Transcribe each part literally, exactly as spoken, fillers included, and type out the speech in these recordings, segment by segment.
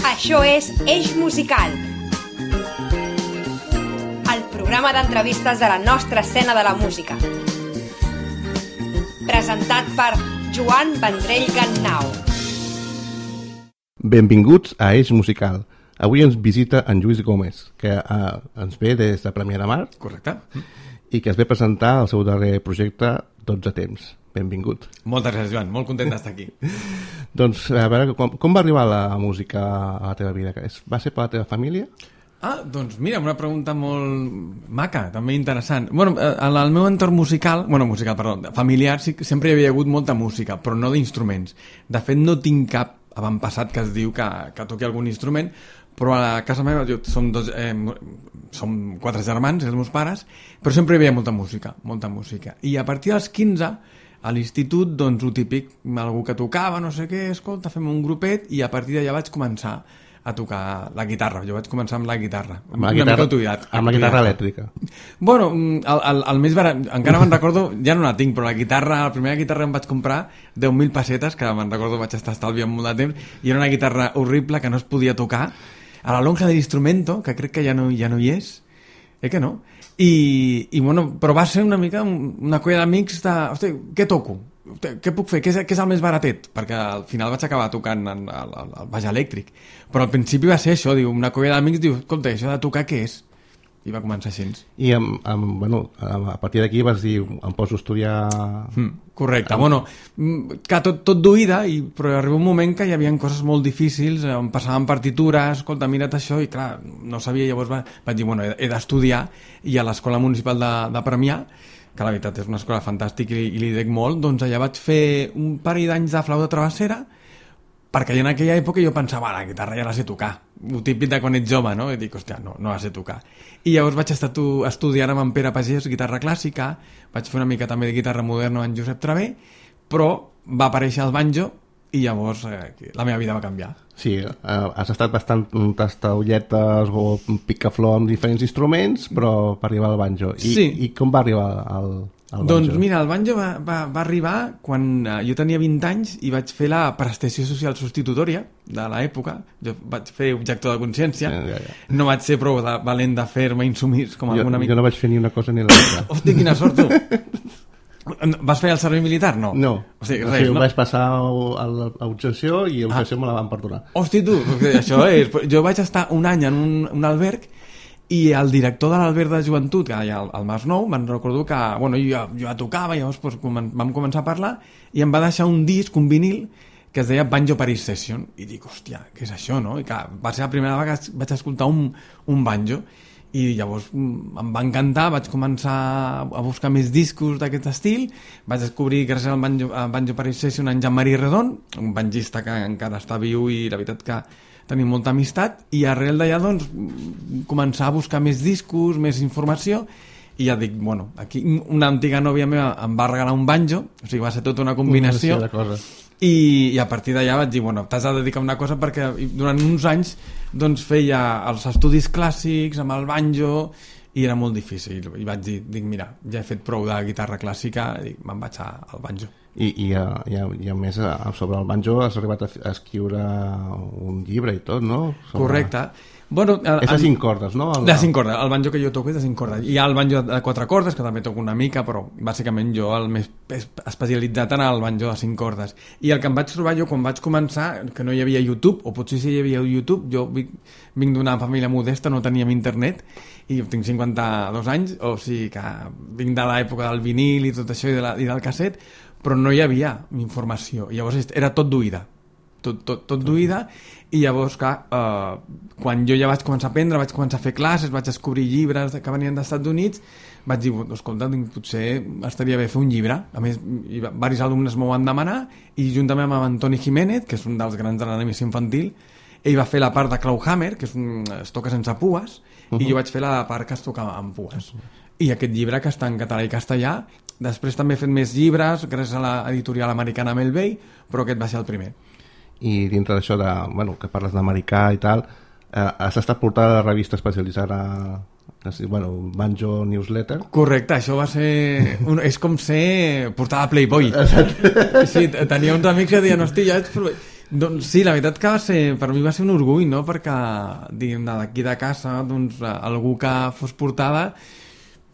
Això és Eix Musical, el programa d'entrevistes de la nostra escena de la música. Presentat per Joan Vendrell Gannau. Benvinguts a Eix Musical. Avui ens visita en Lluís Gómez, que eh, ens ve des de Premià de Mar. Correcte. I que es ve presentar el seu darrer projecte dotze temps. Benvingut. Moltes gràcies, Joan. Molt content d'estar aquí. Doncs, a veure, com, com va arribar la música a la teva vida? Va ser per la teva família? Ah, doncs mira, una pregunta molt maca, també interessant. Bueno, en el meu entorn musical, bueno, musical, perdó, familiar, sí, sempre hi havia hagut molta música, però no d'instruments. De fet, no tinc cap avantpassat que es diu que, que toqui algun instrument, però a casa meva jo, som, dos, eh, som quatre germans, els meus pares, però sempre hi havia molta música, molta música. I a partir dels quinze, a l'institut, doncs, el típic, algú que tocava, no sé què, escolta, fem un grupet, i a partir d'allà vaig començar a tocar la guitarra. Jo vaig començar amb la guitarra. Amb la guitarra, autodidat, amb la guitarra elèctrica. Bueno, el, el, el més barat, encara me'n recordo, ja no la tinc, però la guitarra, la primera guitarra em vaig comprar deu mil pessetes, que me'n recordo vaig estar estalviant molt de temps, i era una guitarra horrible que no es podia tocar. A la lonja de l'instrumento, que crec que ja no, ja no hi és, eh que no? I, i bueno, però va ser una mica una colla d'amics de, hosti, què toco? Què puc fer? Què és, què és el més baratet? Perquè al final vaig acabar tocant el, el, el baix elèctric, però al principi va ser això, diu, una colla d'amics diu, escolta, això de tocar què és? I va començar així. I amb, amb, bueno, a partir d'aquí vas dir, em poso a estudiar... Mm, correcte, amb... bueno, que tot, tot d'oïda, i, però arriba un moment que hi havia coses molt difícils, em passaven partitures, escolta, mira't això, i clar, no sabia, llavors va, vaig dir, bueno, he, he d'estudiar, i a l'Escola Municipal de, de Premià, que la veritat és una escola fantàstica i, i li dec molt, doncs allà vaig fer un parell d'anys de flauta travessera, perquè en aquella època jo pensava, la guitarra ja la sé tocar, el típic de quan ets jove, no? I dic, hòstia, no, no la sé tocar. I llavors vaig estar tu, estudiant amb en Pere Pagès guitarra clàssica, vaig fer una mica també de guitarra moderna amb Josep Travé, però va aparèixer el banjo i llavors eh, la meva vida va canviar. Sí, eh, has estat bastant tastaulletes o picaflor amb diferents instruments, però per arribar al banjo. I, sí. I com va arribar al, al banjo? Doncs mira, el banjo va, va, va arribar quan eh, jo tenia vint anys i vaig fer la prestació social substitutòria de l'època. Jo vaig fer objector de consciència. Ja, ja, ja. No vaig ser prou de, valent de fer-me insumís com jo, algun amic. Jo no vaig fer ni una cosa ni l'altra. Hosti, quina sort, tu! Vas fer el servei militar? No. No. O sigui, res, o sigui, no? Vaig passar a l'objecció i l'objecció ah. me la van perdonar. Hosti, tu! Això és... Jo vaig estar un any en un, un alberg i el director de l'alberg de joventut, que hi ha al Masnou, me'n recordo que bueno, jo, jo ja tocava, llavors doncs, vam començar a parlar i em va deixar un disc, un vinil, que es deia Banjo Paris Session. I dic, hòstia, què és això, no? I clar, va ser la primera vegada que vaig escoltar un, un banjo. I llavors em va encantar, vaig començar a buscar més discos d'aquest estil, vaig descobrir gràcies al Banjo, al Banjo Paris Session en Jean-Marie Redon, un banjista que encara està viu i la veritat que tenim molta amistat, i arrel d'allà doncs començar a buscar més discos, més informació, i ja dic, bueno, aquí una antiga nòvia meva em va regalar un banjo, o sigui, va ser tota una combinació, una cosa. I, i a partir d'allà vaig dir, bueno, t'has de dedicar a una cosa perquè durant uns anys doncs feia els estudis clàssics amb el banjo i era molt difícil i vaig dir, dic, mira, ja he fet prou de guitarra clàssica i me'n vaig al banjo. I, i, i, i a més sobre el banjo has arribat a escriure un llibre i tot, no? Sobre... Correcte. Bueno, el, és de cinc cordes, no? El, de cinc cordes, el banjo que jo toco és de cinc cordes. Hi ha el banjo de quatre cordes, que també toco una mica, però bàsicament jo el més especialitzat en el banjo de cinc cordes. I el que em vaig trobar jo quan vaig començar, que no hi havia YouTube, o potser sí hi havia YouTube, jo vinc d'una família modesta, no teníem internet, i tinc cinquanta-dos anys, o sigui que vinc de l'època del vinil i tot això i, de la, i del casset, però no hi havia informació. I llavors era tot d'oïda. tot, tot, tot d'oïda, i llavors clar, eh, quan jo ja vaig començar a aprendre, vaig començar a fer classes, vaig descobrir llibres que venien dels Estats Units, vaig dir, escolta, potser estaria bé fer un llibre. A més, diversos alumnes m'ho van demanar, i juntament amb Antoni Jiménez, que és un dels grans de l'animació infantil, ell va fer la part de Clawhammer, que és un, es toca sense pues, uh-huh. i jo vaig fer la part que es toca amb pues. I aquest llibre, que està en català i castellà, després també he fet més llibres gràcies a l'editorial americana Melvey, però aquest va ser el primer. I dintre d'això de, bueno, que parles d'americà i tal, eh, has estat portada de revista especialitzada, bueno, Banjo Newsletter. Correcte, això va ser un, és com ser portada a Playboy. Sí, tenia uns amics que deien, hosti, ja ets... Doncs sí, la veritat que va ser, per mi va ser un orgull, no? Perquè, diguem, d'aquí de casa, doncs, algú que fos portada,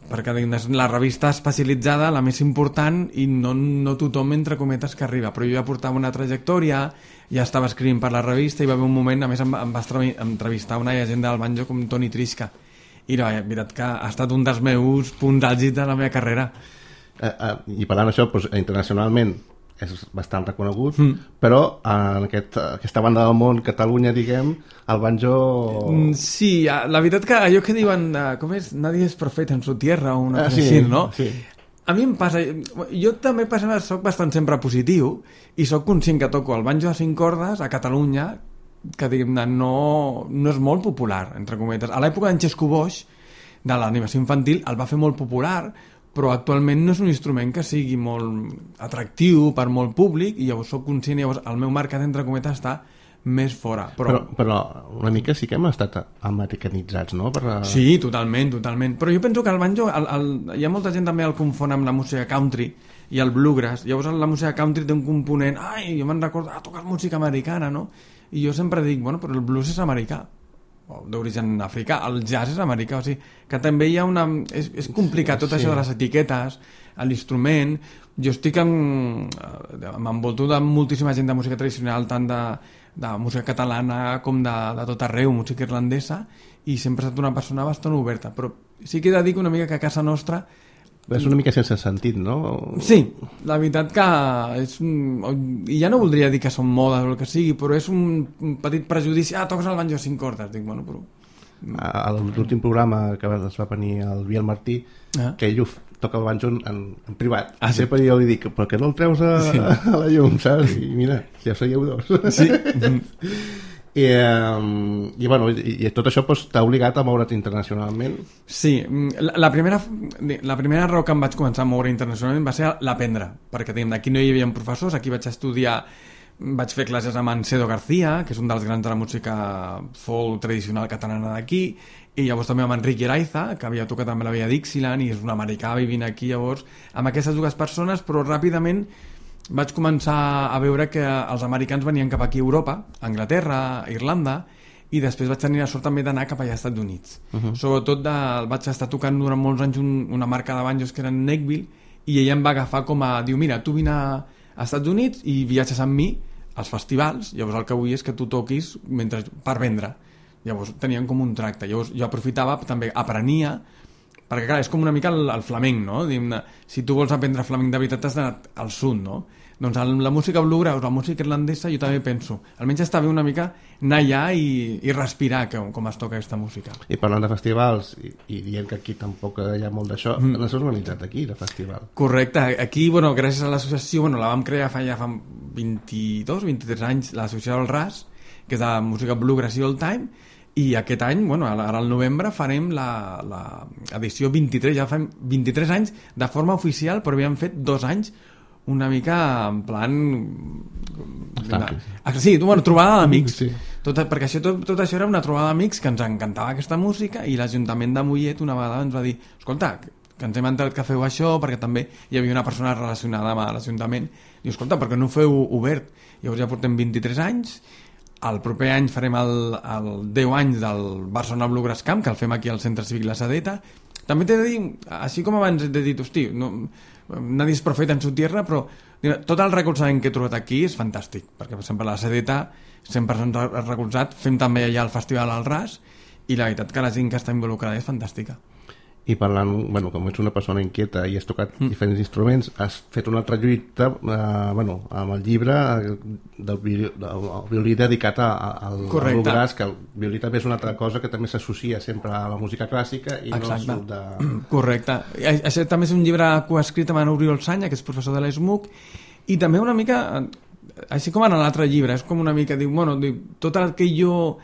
perquè diguem, és la revista especialitzada, la més important, i no, no tothom, entre cometes, que arriba. Però jo ja portava una trajectòria, ja estava escrivint per la revista, i va haver un moment, a més, em, em va entrevistar una llegenda del banjo com Toni Trisca. I la veritat que ha estat un dels meus punts àlgids de la meva carrera. Eh, eh, I parlant d'això, doncs, internacionalment, és bastant reconegut, mm. però en aquest, aquesta banda del món, Catalunya, diguem, el banjo... Sí, la veritat que allò que diuen, com és, nadie és profeta en su tierra, o una cosa ah, sí, així, no? Sí. A mi em passa... Jo també passa, soc bastant sempre positiu i soc conscient que toco el banjo a cinc cordes a Catalunya, que diguem-ne no, no és molt popular, entre cometes. A l'època d'en Xesco Boix, de l'animació infantil, el va fer molt popular, però actualment no és un instrument que sigui molt atractiu per molt públic, i llavors soc conscient, llavors el meu mercat, entre cometes, està més fora. Però, però, però una mica sí que hem estat americanitzats, no? Per la... Sí, totalment, totalment. Però jo penso que el banjo, el, el, hi ha molta gent també el confon amb la música country i el bluegrass. Llavors la música country té un component, ai, jo me'n recordo, ah, tocar música americana, no? I jo sempre dic, bueno, però el blues és americà, d'origen africà, el jazz és americà, o sigui, que també hi ha una... És, és complicat tot sí. Això de les etiquetes, l'instrument. Jo estic en... m'envolto de moltíssima gent de música tradicional, tant de, de música catalana com de, de tot arreu, música irlandesa, i sempre he estat una persona bastant oberta, però sí que he de dir que una mica que a casa nostra és una mica sense sentit, no? Sí, la veritat que és un... i ja no voldria dir que són modes o el que sigui, però és un petit prejudici. Ah, toques el banjo a cinc cordes. Dic, bueno, però... A l'últim programa que es va venir el Biel Martí, ah. que ell toca el banjo en, en privat. Ah, sí? Sempre jo li dic, però que no el treus a, sí. a la llum, saps? I mira, ja seieu dos. Sí. I, um, i, bueno, i, i tot això pues, t'ha obligat a moure't internacionalment? Sí, la, la, primera, la primera raó que em vaig començar a moure internacionalment va ser l'aprendre, perquè aquí no hi havia professors, aquí vaig estudiar, vaig fer classes amb en Cedo García, que és un dels grans de la música folk tradicional catalana d'aquí, i llavors també amb Enric Iraiza, que havia tocat amb la Via Dixieland i és un americà vivint aquí, llavors amb aquestes dues persones, però ràpidament vaig començar a veure que els americans venien cap aquí a Europa, a Anglaterra, a Irlanda, i després vaig tenir la sort també d'anar cap allà als Estats Units. Uh-huh. Sobretot de, vaig estar tocant durant molts anys un, una marca de banjos que era en Neckville, i ella em va agafar com a, diu, mira, tu vine a, a Estats Units i viatges amb mi als festivals, llavors el que vull és que tu toquis mentre, per vendre. Llavors tenien com un tracte. Llavors jo aprofitava, també aprenia, perquè clar, és com una mica el, el flamenc, no? Diguem-ne, si tu vols aprendre flamenc de veritat has d'anar al sud, no? Doncs el, la música bluegrass, la música irlandesa, jo també penso, almenys està bé una mica anar allà i, i respirar com, com es toca aquesta música. I parlant de festivals, i, i dient que aquí tampoc hi ha molt d'això, mm. no s'ha organitzat aquí, de festival. Correcte, aquí, bueno, gràcies a l'associació, bueno, la vam crear fa ja fa vint-i-dos, vint-i-tres anys, l'associació del R A S, que és de música bluegrass i old time, i aquest any, bueno, ara al novembre farem la, la edició vint-i-tres, ja fem vint-i-tres anys de forma oficial, però havíem fet dos anys una mica en plan... Ah, sí, bueno, trobada d'amics. Sí. Tot, perquè això, tot, tot això era una trobada d'amics que ens encantava aquesta música i l'Ajuntament de Mollet una vegada ens va dir, escolta, que ens hem entrat que feu això, perquè també hi havia una persona relacionada amb l'Ajuntament. Diu, escolta, per què no ho feu obert? Llavors ja portem vint-i-tres anys, el proper any farem el, el deu anys del Barcelona Bluegrass Camp, que el fem aquí al Centre Cívic La Sedeta. També t'he de dir, així com abans t'he dit, hosti, no, nadie és profeta en su tierra, però tot el recolzament que he trobat aquí és fantàstic, perquè per exemple a La Sedeta sempre s'han recolzat, fem també allà el festival al R A S, i la veritat que la gent que està involucrada és fantàstica. I parlant, bueno, com ets una persona inquieta i has tocat mm. diferents instruments, has fet una altra lluita eh, bueno, amb el llibre del violí, del violí dedicat a, al bluegrass, que el violí també és una altra cosa que també s'associa sempre a la música clàssica i Exacte. No surt de... Correcte. Això també és un llibre coescrit amb en Oriol Sanya, que és professor de l'E S M U C, i també una mica, així com en l'altre llibre, és com una mica, diu, bueno, diu, tot el que jo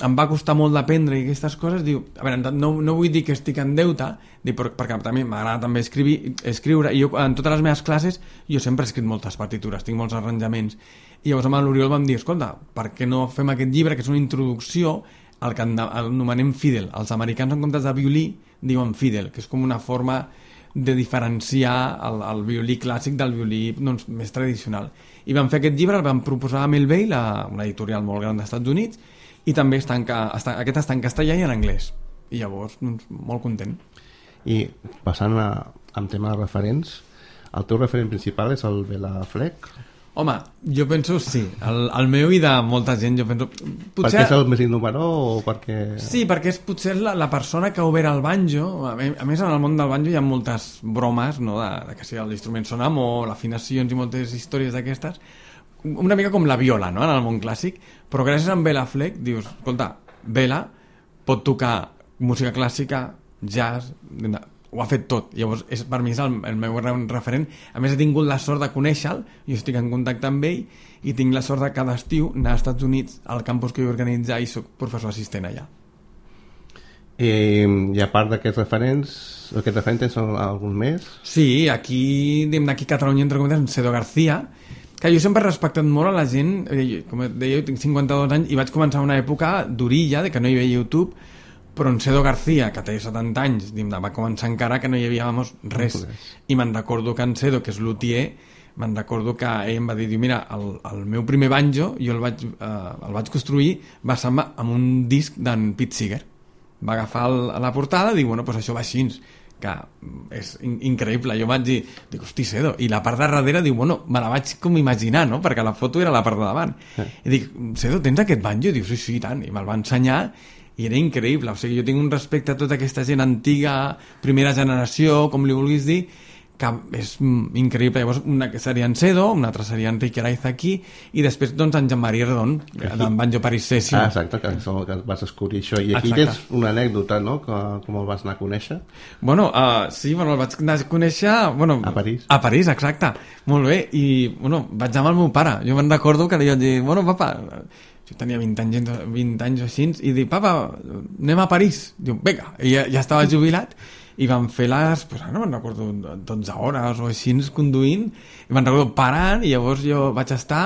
em va costar molt d'aprendre i aquestes coses, diu, a veure, no, no vull dir que estic en deute, diu, perquè també m'agrada també escriure, escriure, i jo en totes les meves classes jo sempre he escrit moltes partitures, tinc molts arranjaments, i llavors amb l'Oriol vam dir, escolta, per què no fem aquest llibre, que és una introducció al que anomenem fiddle. Els americans en comptes de violí diuen fiddle, que és com una forma de diferenciar el, el violí clàssic del violí doncs, més tradicional. I vam fer aquest llibre, el vam proposar a Melville, una editorial molt gran dels Estats Units, i també està en, està, aquest està en castellà i en anglès. I llavors, doncs, molt content. I passant a, a tema de referents, el teu referent principal és el Bela Fleck? Home, jo penso sí, el, el meu i de molta gent, jo penso... Potser... Perquè és el més innovador o perquè... Sí, perquè és potser la, la persona que ha obert el banjo. A més, en el món del banjo hi ha moltes bromes, no?, de, de que si l'instrument sona molt, afinacions i moltes històries d'aquestes, una mica com la viola, no?, en el món clàssic, però gràcies a en Bela Fleck dius, escolta, Bela pot tocar música clàssica, jazz... ho ha fet tot, llavors és, per mi és el, el meu referent. A més he tingut la sort de conèixer-lo, jo estic en contacte amb ell i tinc la sort de cada estiu anar als Estats Units al campus que jo organitzar i soc professor assistent allà. I, i a part d'aquests referents, aquests referents tens algun més? Sí, aquí d'aquí a Catalunya entre cometes en Cedo García, que jo sempre he respectat molt a la gent, com deia, jo tinc cinquanta-dos anys i vaig començar una època d'orilla, de que no hi havia YouTube, però en Cedo García, que té setanta anys, va començar encara que no hi havia vamos, res, i me'n recordo que en Cedo, que és luthier, me'n recordo que ell em va dir, mira, el, el meu primer banjo jo el vaig, eh, el vaig construir basant-me amb un disc d'en Pete Seeger. Va agafar el, la portada i diu, bueno, pues això va així, que és in increïble. Jo vaig dir, dic, hosti, Cedo, i la part de darrere diu, bueno, me la vaig com imaginar, no?, perquè la foto era la part de davant. Eh. I dic, Cedo, tens aquest banjo? I diu, sí, sí, i tant, i me'l va ensenyar i era increïble, o sigui, jo tinc un respecte a tota aquesta gent antiga, primera generació, com li vulguis dir, que és increïble. Llavors, una que seria en Cedo, una altra seria Enrique Araiza aquí, i després, doncs, en Jean-Marie Redon, d'en Banjo Paris Session. Ah, exacte, que, que vas descobrir això. I aquí exacte. Tens una anècdota, no?, que, com el vas anar a conèixer? Bueno, uh, sí, bueno, el vaig anar a conèixer... Bueno, a París. A París, exacte. Molt bé, i, bueno, vaig anar amb el meu pare. Jo me'n recordo que li vaig dir, bueno, papa... Jo tenia vint anys, vint anys o així, i dic, papa, anem a París. Diu, vinga, i ja, ja estava jubilat, i vam fer les, pues, no me'n recordo, dotze hores o així, conduint, i me'n recordo parant, i llavors jo vaig estar,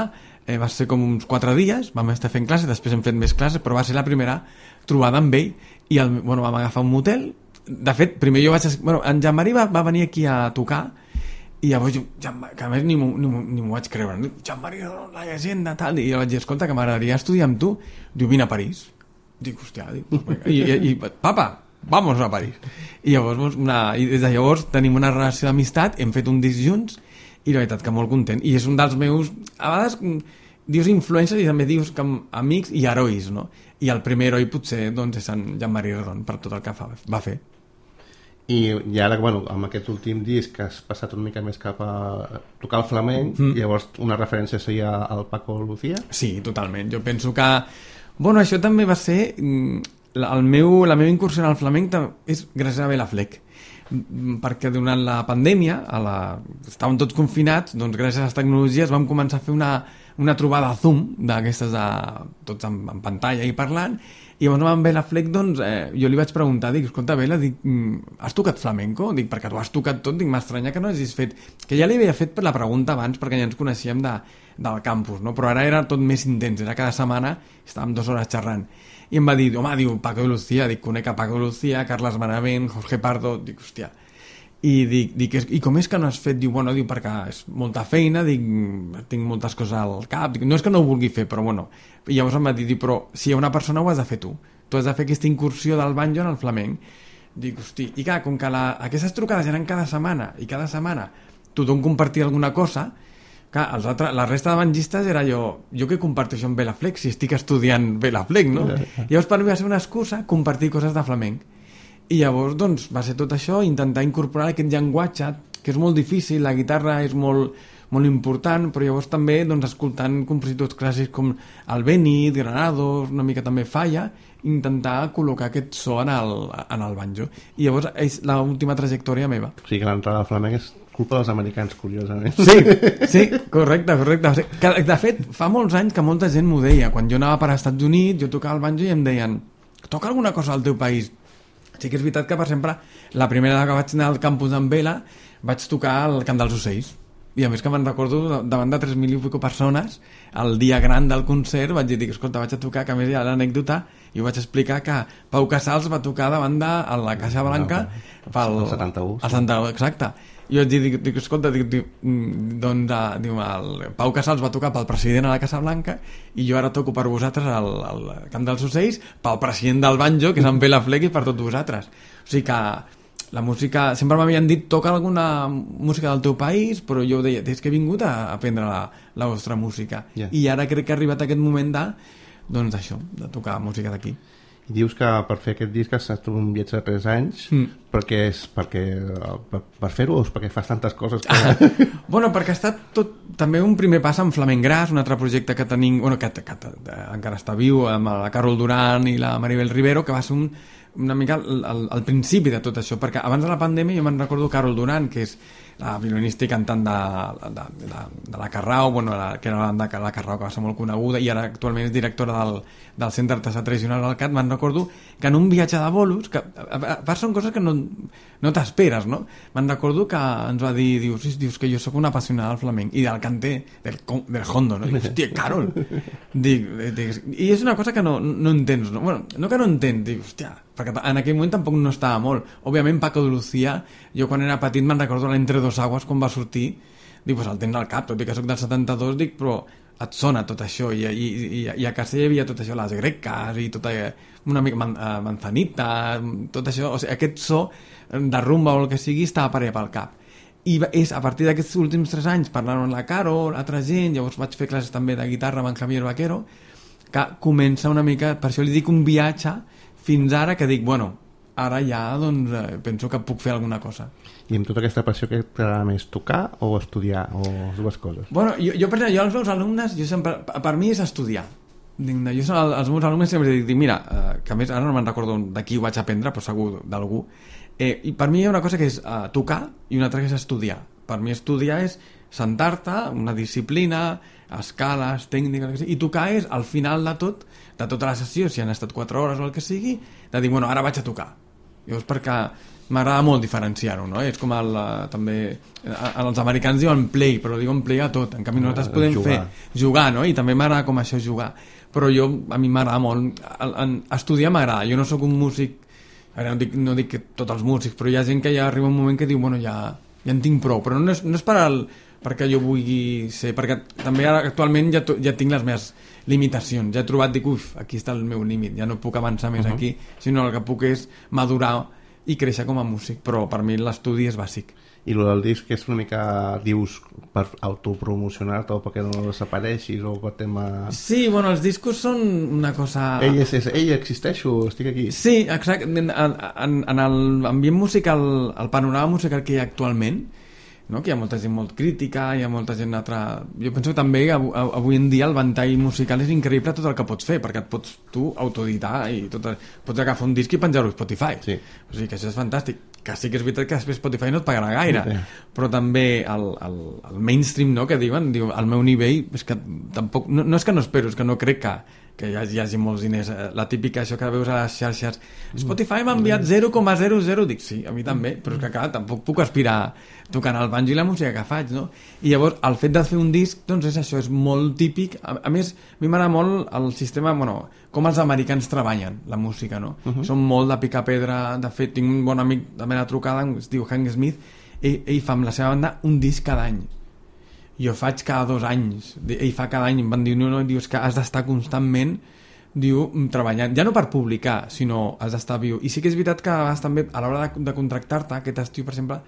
eh, va ser com uns quatre dies, vam estar fent classes, després hem fet més classes, però va ser la primera trobada amb ell, i el, bueno, vam agafar un motel. De fet, primer jo vaig... Bueno, en Jean-Marie va, va venir aquí a tocar, i llavors jo, que a més ni m'ho vaig creure, Jean-Marie, la llegenda, tal, i jo vaig dir, escolta, que m'agradaria estudiar amb tu. Diu, vine a París. Dic, hòstia, dic, i, i, i papa, vamos a París. I llavors, una, i des de llavors tenim una relació d'amistat, hem fet un disc junts, i la veritat que molt content. I és un dels meus, a vegades dius influències i també dius que amics i herois, no? I el primer heroi potser doncs, és en Jean-Marie Redon, per tot el que fa, va fer. I, i ara, bueno, amb aquest últim disc que has passat una mica més cap a tocar el flamenc, mm. llavors una referència seria al Paco Lucía? Sí, totalment. Jo penso que... Bueno, això també va ser... El meu, la meva incursió en el flamenc és gràcies a Bela Fleck, perquè durant la pandèmia a la... estàvem tots confinats, doncs gràcies a les tecnologies vam començar a fer una, una trobada a Zoom d'aquestes de... tots en, en pantalla i parlant. I llavors amb Bela Fleck, doncs, eh, jo li vaig preguntar, dic, escolta, Bela, dic, has tocat flamenco? Dic, perquè tu has tocat tot, dic, m'estranya que no hagis fet... Que ja li havia fet per la pregunta abans, perquè ja ens coneixíem de, del campus, no? Però ara era tot més intens, era cada setmana, estàvem dues hores xerrant. I em va dir, home, diu, Paco de Lucía, dic, conec a Paco de Lucía, Carles Benavent, Jorge Pardo, dic, hòstia... I dic, dic, i com és que no has fet? Diu, bueno, diu, perquè és molta feina, dic, tinc moltes coses al cap, dic, no és que no ho vulgui fer, però bueno. I llavors em va dir, dic, però si hi ha una persona ho has de fer tu, tu has de fer aquesta incursió del banjo en el flamenc. Dic, hosti, i clar, com que la, aquestes trucades eren cada setmana, i cada setmana tothom compartia alguna cosa, clar, els altres, la resta de bangistes era jo, jo que comparteixo amb Bela Fleck, si estic estudiant Bela Fleck, no? Llavors per mi va ser una excusa compartir coses de flamenc. I llavors, doncs, va ser tot això, intentar incorporar aquest llenguatge, que és molt difícil, la guitarra és molt, molt important, però llavors també, doncs, escoltant compositors clàssics com el Benit, Granados, una mica també Falla, intentar col·locar aquest so en el, en el banjo. I llavors és l'última trajectòria meva. O sigui que l'entrada al flamenc és culpa dels americans, curiosament. Sí, sí, correcte, correcte. De fet, fa molts anys que molta gent m'ho deia. Quan jo anava per als Estats Units, jo tocava el banjo i em deien, toca alguna cosa al teu país. Sí que és veritat que, per exemple, la primera vegada que vaig anar al campus d'en Bela vaig tocar el Cant dels Ocells. i a més que me'n recordo davant de tres mil i pico persones el dia gran del concert vaig dir, escolta, vaig a tocar, que a més hi ha l'anècdota i ho vaig explicar que Pau Casals va tocar davant de la Caixa Blanca pel el setanta-u, el setanta-u, exacte, i vaig dir, dic, dic, escolta, dic, dic, doncs uh, diu, el Pau Casals va tocar pel president a la Casa Blanca i jo ara toco per vosaltres al, al Camp dels Ocells pel president del banjo, que és en Pere Fleck, i per tots vosaltres. O sigui que la música, sempre m'havien dit toca alguna música del teu país, però jo deia, és que he vingut a aprendre la, la vostra música, yeah. I ara crec que ha arribat aquest moment de, doncs això, de tocar música d'aquí. I dius que per fer aquest disc has estat un viatge de tres anys, mm. perquè és perquè, per, per fer-ho o és perquè fas tantes coses que... Ah, bueno, perquè ha estat tot, també un primer pas amb Flamenc Gras, un altre projecte que tenim, bueno, que, que, que encara està viu, amb la Carol Duran i la Maribel Rivero, que va ser un, una mica el, el, el principi de tot això, perquè abans de la pandèmia jo me'n recordo Carol Duran, que és la violinista i cantant de, de, de, de la Carrao, bueno, la, que era la banda de la Carrao, que va ser molt coneguda, i ara actualment és directora del, del Centre Artesà Tradicional del C A T. Me'n recordo que en un viatge de bolos, que a, a, a són coses que no, no t'esperes, no? Me'n recordo que ens va dir, dius, dius que jo sóc una apassionada del flamenc, i del canter, del, del hondo, no? Dic, hòstia, Carol! Dic, dic, i és una cosa que no, no entens, no? Bueno, no que no entens, dic, hòstia, perquè en aquell moment tampoc no estava molt. Òbviament Paco de Lucía, jo quan era petit me'n recordo l'Entre dos Aguas quan va sortir, dic, pues el tens al cap, tot i que soc del setanta-dos, dic, però et sona tot això, i, i, i, i a casa hi havia tot això, les greques i tota una mica man, uh, manzanita, tot això, o sigui, aquest so de rumba o el que sigui estava per allà pel cap. I és a partir d'aquests últims tres anys parlant amb la Caro, altra gent, llavors vaig fer classes també de guitarra amb en Javier Vaquero, que comença una mica, per això li dic un viatge fins ara, que dic, bueno, ara ja doncs eh, penso que puc fer alguna cosa. I amb tota aquesta passió, que t'agrada més tocar o estudiar, o les dues coses? Bueno, jo, jo per exemple, jo als meus alumnes, jo sempre, per mi és estudiar. Jo als meus alumnes sempre dic, mira, eh, que a més ara no me'n recordo de qui ho vaig aprendre, però segur d'algú, eh, i per mi hi ha una cosa que és eh, tocar i una altra que és estudiar. Per mi estudiar és sentar-te, una disciplina, escales, tècniques, i tocar és al final de tot, de tota la sessió, si han estat quatre hores o el que sigui, de dir, bueno, ara vaig a tocar. Llavors, perquè m'agrada molt diferenciar-ho, no? És com el, també, els americans diuen play, però diuen play a tot, en canvi nosaltres podem jugar. fer jugar, no? I també m'agrada com això jugar, però jo, a mi m'agrada molt, estudiar m'agrada, jo no sóc un músic, ara no dic, no dic que tots els músics, però hi ha gent que ja arriba un moment que diu, bueno, ja, ja en tinc prou, però no és, no és per al, perquè jo vulgui ser, perquè també ara actualment ja, ja tinc les meves limitacions, ja he trobat, dic, uf, aquí està el meu límit, ja no puc avançar més uh -huh. aquí, sinó el que puc és madurar i créixer com a músic, però per mi l'estudi és bàsic. I el del disc és una mica, dius, per autopromocionar-te o perquè no desapareixis o per tema... Sí, bueno, els discos són una cosa... Ell, és, és, ell existeixo, estic aquí. Sí, exacte, en, en, en l'ambient musical, el panorama musical que hi ha actualment, no? Que hi ha molta gent molt crítica, hi ha molta gent altra... Jo penso que també avui en dia el ventall musical és increïble tot el que pots fer, perquè et pots tu autoeditar i tot, pots agafar un disc i penjar-ho a Spotify. Sí. O sigui que això és fantàstic. Que sí que és veritat que després Spotify no et pagarà gaire, sí. Però també el, el, el mainstream, no?, que diuen, diu, al meu nivell, és que tampoc... No, no és que no espero, és que no crec que que hi hagi, hi hagi molts diners, la típica això que veus a les xarxes, Spotify m'ha enviat zero coma zero zero, dic sí, a mi també, però és que clar, tampoc puc aspirar tocant el banjo i la música que faig, no? I llavors el fet de fer un disc, doncs és això, és molt típic, a, a més a mi m'agrada molt el sistema, bueno, com els americans treballen la música, no? Uh -huh. Són molt de picar pedra, de fet tinc un bon amic de mena trucada, es diu Hank Smith, ell, ell fa amb la seva banda un disc cada any, jo faig cada dos anys, ell fa cada any, em van dir, no, no, dius que has d'estar constantment, diu, treballant, ja no per publicar, sinó has d'estar viu. I sí que és veritat que a vegades també, a l'hora de, de contractar-te, aquest estiu, per exemple,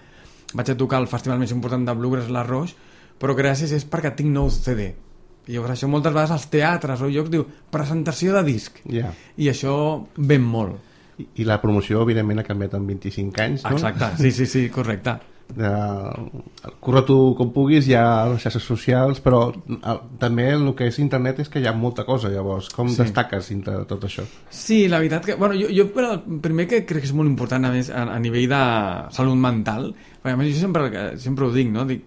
vaig a tocar el festival més important de Bluegrass, l'Arroix, però gràcies és perquè tinc nou C D. I llavors això moltes vegades als teatres o llocs diu, presentació de disc. Yeah. I això ven molt. I, I la promoció, evidentment, ha canviat en vint-i-cinc anys, no? Exacte, sí, sí, sí, correcte. Uh, corre tu com puguis, hi ha les xarxes socials, però uh, també el que és internet és que hi ha molta cosa, llavors com sí. destaques dintre de tot això? Sí, la veritat que, bueno, jo, jo el primer que crec que és molt important a més a, a nivell de salut mental, perquè a més jo sempre, sempre ho dic, no? Dic,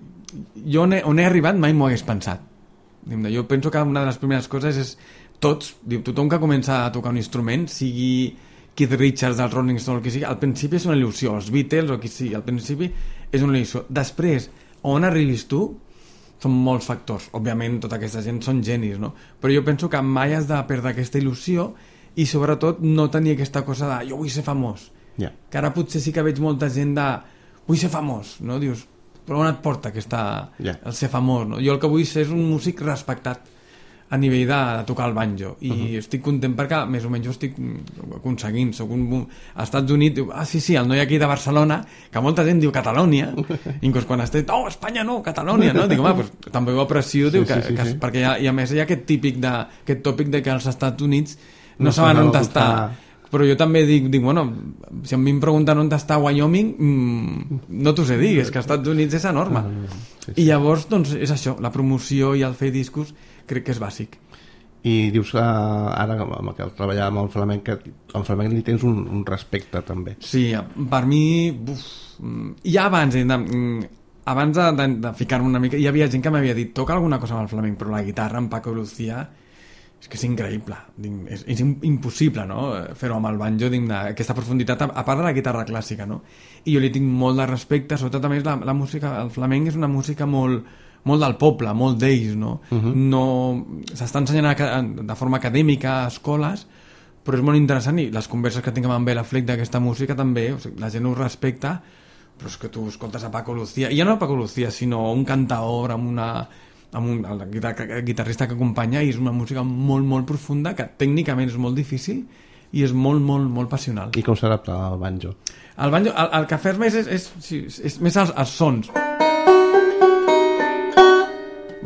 jo on he, on he arribat mai m'ho hagués pensat. Jo penso que una de les primeres coses és tots, diu, tothom que comença a tocar un instrument, sigui Keith Richards dels Rolling Stones, el que sigui, al principi és una il·lusió, els Beatles o qui sigui, al principi és una il·lusió. Després, on arribis tu, són molts factors. Òbviament, tota aquesta gent són genis, no? Però jo penso que mai has de perdre aquesta il·lusió i, sobretot, no tenir aquesta cosa de jo vull ser famós. Yeah. Que ara potser sí que veig molta gent de vull ser famós, no? Dius, però on et porta aquesta, yeah. el ser famós, no? Jo el que vull ser és un músic respectat a nivell de, de tocar el banjo i uh-huh. estic content perquè més o menys ho estic aconseguint. Soc un, als Estats Units diu, ah sí, sí, el noi aquí de Barcelona, que molta gent diu Catalònia, inclús quan estic, no, Espanya no, Catalònia, no? Dic, home, pues, també ho aprecio, diu, sí, que, sí, sí, que, sí. perquè hi ha, i a més hi ha aquest típic de, aquest tòpic de que als Estats Units no, no saben on està. Però jo també dic, dic, bueno, si a mi em pregunten on està Wyoming, mmm, no t'ho sé dir, és que als Estats Units és enorme. Sí, sí. I llavors, doncs, és això, la promoció i el fer discos crec que és bàsic. I dius que ara, amb el treballar amb el flamenc, que al flamenc li tens un, un respecte, també. Sí, per mi, uf, ja abans, de, abans de, de, de ficar-me una mica, hi havia gent que m'havia dit, toca alguna cosa amb el flamenc, però la guitarra amb Paco Lucía és que és increïble, és, és impossible, no? Fer-ho amb el banjo, aquesta profunditat, a part de la guitarra clàssica, no? I jo li tinc molt de respecte, sobretot a més la, la música, el flamenc és una música molt, molt del poble, molt d'ells, no? Uh-huh. No s'està ensenyant de forma acadèmica a escoles, però és molt interessant i les converses que tinc amb Bela Fleck d'aquesta música també, o sigui, la gent ho respecta, però és que tu escoltes a Paco Lucía, i ja no a Paco Lucía, sinó un cantaor amb una... amb un, el guitarrista que acompanya, i és una música molt, molt profunda, que tècnicament és molt difícil i és molt, molt, molt passional. I com s'adapta al banjo? El banjo, el, el que fes més és, és, és, és més els, els sons.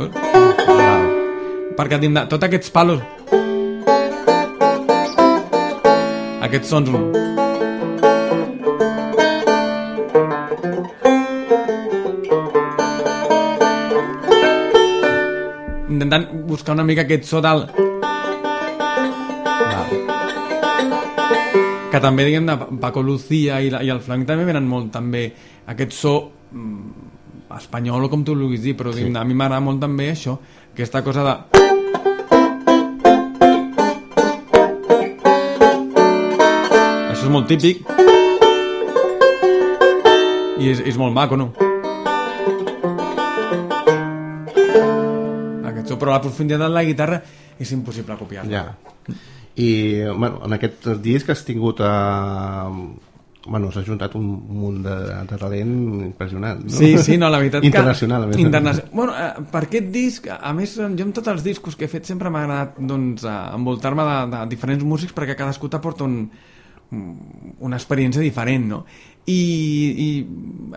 Wow. Perquè tinc de, tots aquests palos, aquests sons, intentant buscar una mica aquest so del... que també, diguem, de Paco Lucía i, la, i el flamenc també venen molt també aquest so mm, espanyol o com tu vulguis dir, però sí. A mi m'agrada molt també això, aquesta cosa de... Això és molt típic i és, és molt maco, no? Però la profunditat de la guitarra és impossible copiar-la. Ja. I bueno, en aquest disc has tingut a... bueno, s'ha juntat un munt de, de talent impressionant, no? Sí, sí, no, la veritat que... Internacional, a més. Internacional. Bueno, eh, per aquest disc, a més, jo amb tots els discos que he fet sempre m'ha agradat, doncs, envoltar-me de, de diferents músics perquè cadascú t'aporta un, una experiència diferent, no? I, i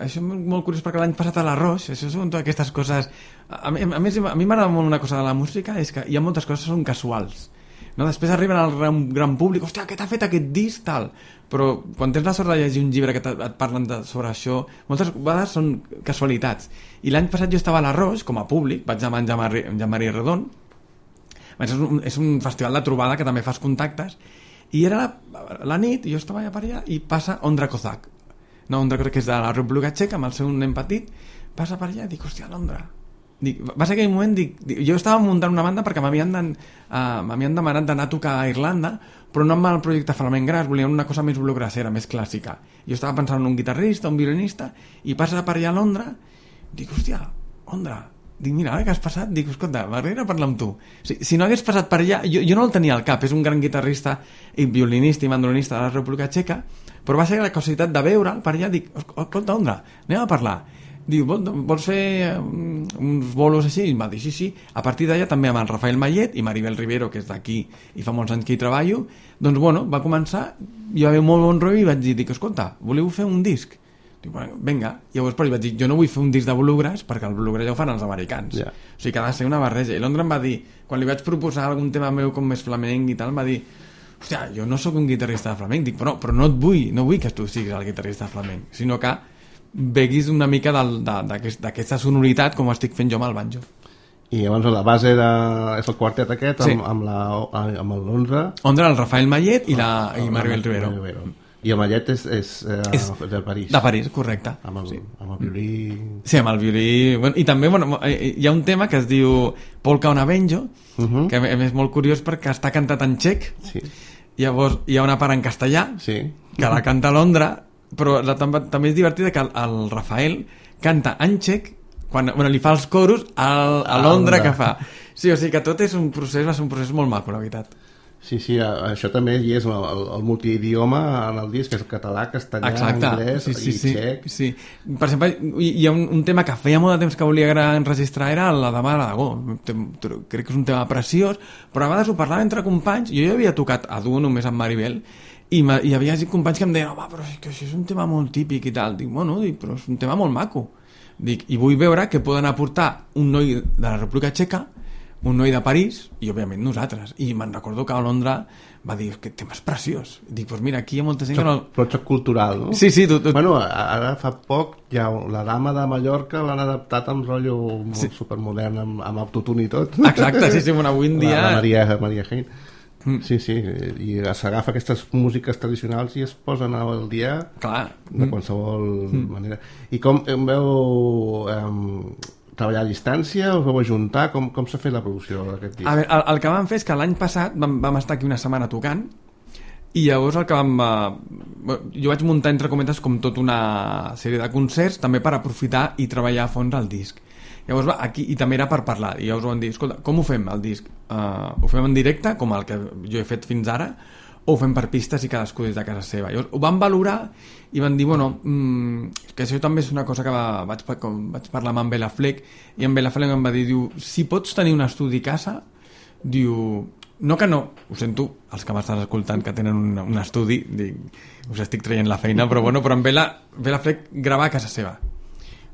això és molt curiós perquè l'any passat a l'Arroix, això són totes aquestes coses a, a més, a mi m'agrada molt una cosa de la música, és que hi ha moltes coses que són casuals, no? Després arriben al gran, gran públic, hòstia, què t'ha fet aquest disc, tal, però quan tens la sort de llegir un llibre que et parlen de, sobre això, moltes vegades són casualitats. I l'any passat jo estava a l'Arroix com a públic, vaig amb en Jean-Marie Redon, és un, és un festival de trobada que també fas contactes, i era la, la nit, i jo estava allà per allà i passa Ondra Kozak, no, Ondra crec que és de la República Txeca, amb el seu nen petit, passa per allà i dic, hòstia, l'Ondra. Dic, va ser aquell moment, dic, dic, jo estava muntant una banda perquè m'havien de, uh, m'havien demanat d'anar a tocar a Irlanda, però no amb el projecte Flamenc Gras, volien una cosa més bluegrassera, més clàssica. Jo estava pensant en un guitarrista, un violinista, i passa per allà a Londra, dic, hòstia, Ondra, dic, mira, ara que has passat, dic, escolta, m'agradaria parlar amb tu. Si, si no hagués passat per allà, jo, jo no el tenia al cap, és un gran guitarrista i violinista i mandolinista de la República Txeca, però va ser la casualitat de veure'l per allà, dic, escolta, Ondra, anem a parlar. Diu, vols fer um, uns bolos així? I em va dir, sí, sí. A partir d'allà també amb el Rafael Mayet i Maribel Rivero, que és d'aquí i fa molts anys que hi treballo, doncs, bueno, va començar, hi va haver molt bon rotllo i vaig dir, dic, escolta, voleu fer un disc? Dic, bueno, vinga. Llavors, però vaig dir, jo no vull fer un disc de bluegrass perquè el bluegrass ja ho fan els americans. Yeah. O sigui que ha de ser una barreja. I l'Ondra em va dir, quan li vaig proposar algun tema meu com més flamenc i tal, em va dir, hòstia, jo no sóc un guitarrista de flamenc. Dic, però, però no et vull, no vull que tu siguis el guitarrista de flamenc, sinó que veguis una mica d'aquesta aquest, sonoritat com ho estic fent jo amb el banjo. I llavors la base de... és el quartet aquest, sí. amb, amb, la, amb l'Ondra... Ondra, el Rafael Mayet i, la, i Maribel Rivero. Rivero. I el Mayet és, és, eh, és de París. De París, correcte. Amb el, sí. amb el violí... Sí, amb el violí... Bueno, i també bueno, hi ha un tema que es diu Polka una Benjo, uh-huh. que és molt curiós perquè està cantat en txec. Sí. Llavors hi ha una part en castellà, sí. que la canta l'Ondra, però la, també és divertida que el, el Rafael canta en txec quan, bueno, li fa els coros a, a Londra que fa. Sí, o sigui que tot és un procés, va ser un procés molt maco, la veritat. Sí, sí, això també hi és el, el, el multiidioma en el disc, és el català, castellà, exacte. anglès sí, sí, i sí. txec. Sí. Per exemple, hi ha un, un tema que feia molt de temps que volia enregistrar, era la Dama de l'Aragó. Crec que és un tema preciós, però a vegades ho parlava entre companys. Jo ja havia tocat a duo només amb Maribel, i hi havia companys que em deien, home, però és que això és un tema molt típic i tal. Dic, bueno, dic, però és un tema molt maco. Dic, i vull veure què poden aportar un noi de la República Txeca, un noi de París i òbviament nosaltres, i me'n recordo que a Londra va dir, que tema és preciós. Dic, doncs mira, aquí hi ha molta gent que no... Però xoc cultural, no? Sí, sí. Tu, tu... Bueno, ara fa poc ja la Dama de Mallorca l'han adaptat amb rotllo molt sí. supermodern, amb, amb autotune i tot. Exacte, sí, sí, bueno, avui en dia... La, la Maria, Maria Hein. Mm. Sí, sí, i s'agafa aquestes músiques tradicionals i es posen al dia. Clar. De qualsevol mm. manera. I com em veu... Um, treballar a distància, us vau ajuntar, com, com s'ha fet la producció d'aquest disc? A veure, el, el que vam fer és que l'any passat vam, vam estar aquí una setmana tocant i llavors el que vam... Eh, jo vaig muntar entre cometes com tota una sèrie de concerts també per aprofitar i treballar a fons el disc. Llavors va, aquí, i també era per parlar, i llavors vam dir, escolta, com ho fem el disc? Uh, ho fem en directe, com el que jo he fet fins ara, o ho fem per pistes i cadascú des de casa seva? Llavors ho van valorar i van dir, bueno, mmm, que això també és una cosa que va, vaig, com, vaig parlar amb en Bela Fleck, i en Bela Fleck em va dir, diu, si pots tenir un estudi a casa, diu, no que no, ho sento, els que m'estan escoltant que tenen un, un estudi, dic, us estic traient la feina, però bueno, però en Bela, Bela Fleck grava a casa seva.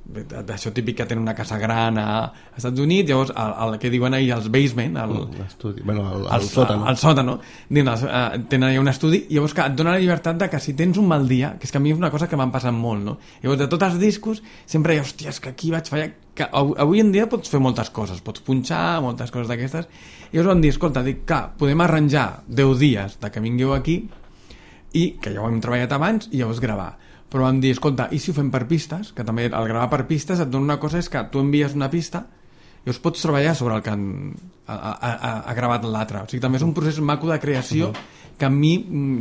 D'això típic que tenen una casa gran a Estats Units, llavors el, el que diuen ahir els basement, el, l'estudi, bueno, el, el, el sòtano, el sòtano diuen, uh, tenen allà un estudi, llavors que et dona la llibertat de que si tens un mal dia, que és que a mi és una cosa que m'han passat molt, no? Llavors de tots els discos sempre hi ha, hòstia, és que aquí vaig fallar, que avui en dia pots fer moltes coses, pots punxar, moltes coses d'aquestes, i llavors van dir, escolta, dic, clar, podem arranjar deu dies de que vingueu aquí i que ja ho hem treballat abans i llavors gravar. Però vam dir, escolta, i si ho fem per pistes? Que també al gravar per pistes et dona una cosa, és que tu envies una pista i us pots treballar sobre el que han, ha, ha, ha gravat l'altre. O sigui, també és un procés maco de creació que a mi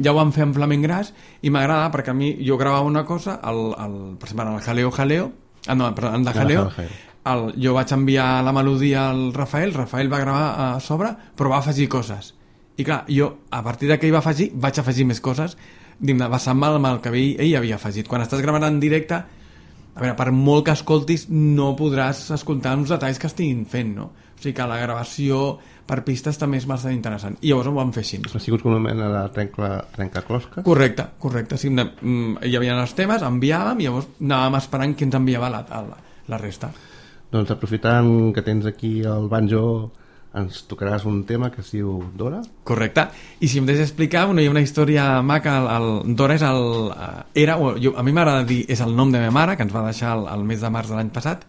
ja ho vam fer amb Flamenc Gras i m'agrada perquè a mi jo gravava una cosa, el, el, per exemple, el Jaleo Jaleo, ah, no, perdó, el de Jaleo, el, jo vaig enviar la melodia al Rafael, Rafael va gravar a sobre, però va afegir coses. I clar, jo, a partir de què hi va afegir, vaig afegir més coses, basant-me amb el que ell, ell havia afegit. Quan estàs gravant en directe, a veure, per molt que escoltis, no podràs escoltar uns detalls que estiguin fent, no? O sigui que la gravació per pistes també és bastant interessant. I llavors ho vam fer així. Ha sigut com una mena de trenca, trencaclosques? Correcte, correcte. Sí, hi havia els temes, enviàvem i llavors anàvem esperant qui ens enviava la, la, la resta. Doncs aprofitant que tens aquí el banjo, ens tocaràs un tema que es diu Dora. Correcte, i si em deixes explicar, bueno, hi ha una història maca. El, el Dora és el, era, jo, a mi m'agrada dir, és el nom de meva mare, que ens va deixar el, el mes de març de l'any passat,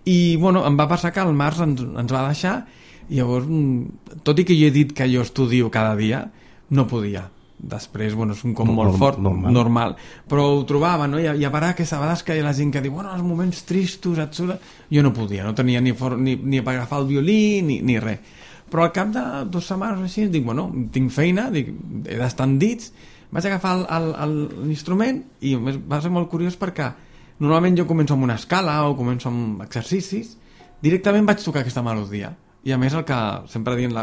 i bueno, em va passar que el març ens, ens va deixar, i llavors, tot i que jo he dit que jo estudio cada dia, no podia. Després, bueno, és un com molt fort, normal, normal. Però ho trobava, no? I a, i a parar que a vegades que hi ha la gent que diu, bueno, els moments tristos, et surt... Jo no podia, no tenia ni, for, ni, ni per agafar el violí ni, ni res. Però al cap de dues setmanes així, dic, bueno, tinc feina, dic, he d'estar en dits, vaig agafar l'instrument i va ser molt curiós perquè normalment jo començo amb una escala o començo amb exercicis, directament vaig tocar aquesta melodia. I a més el que sempre dient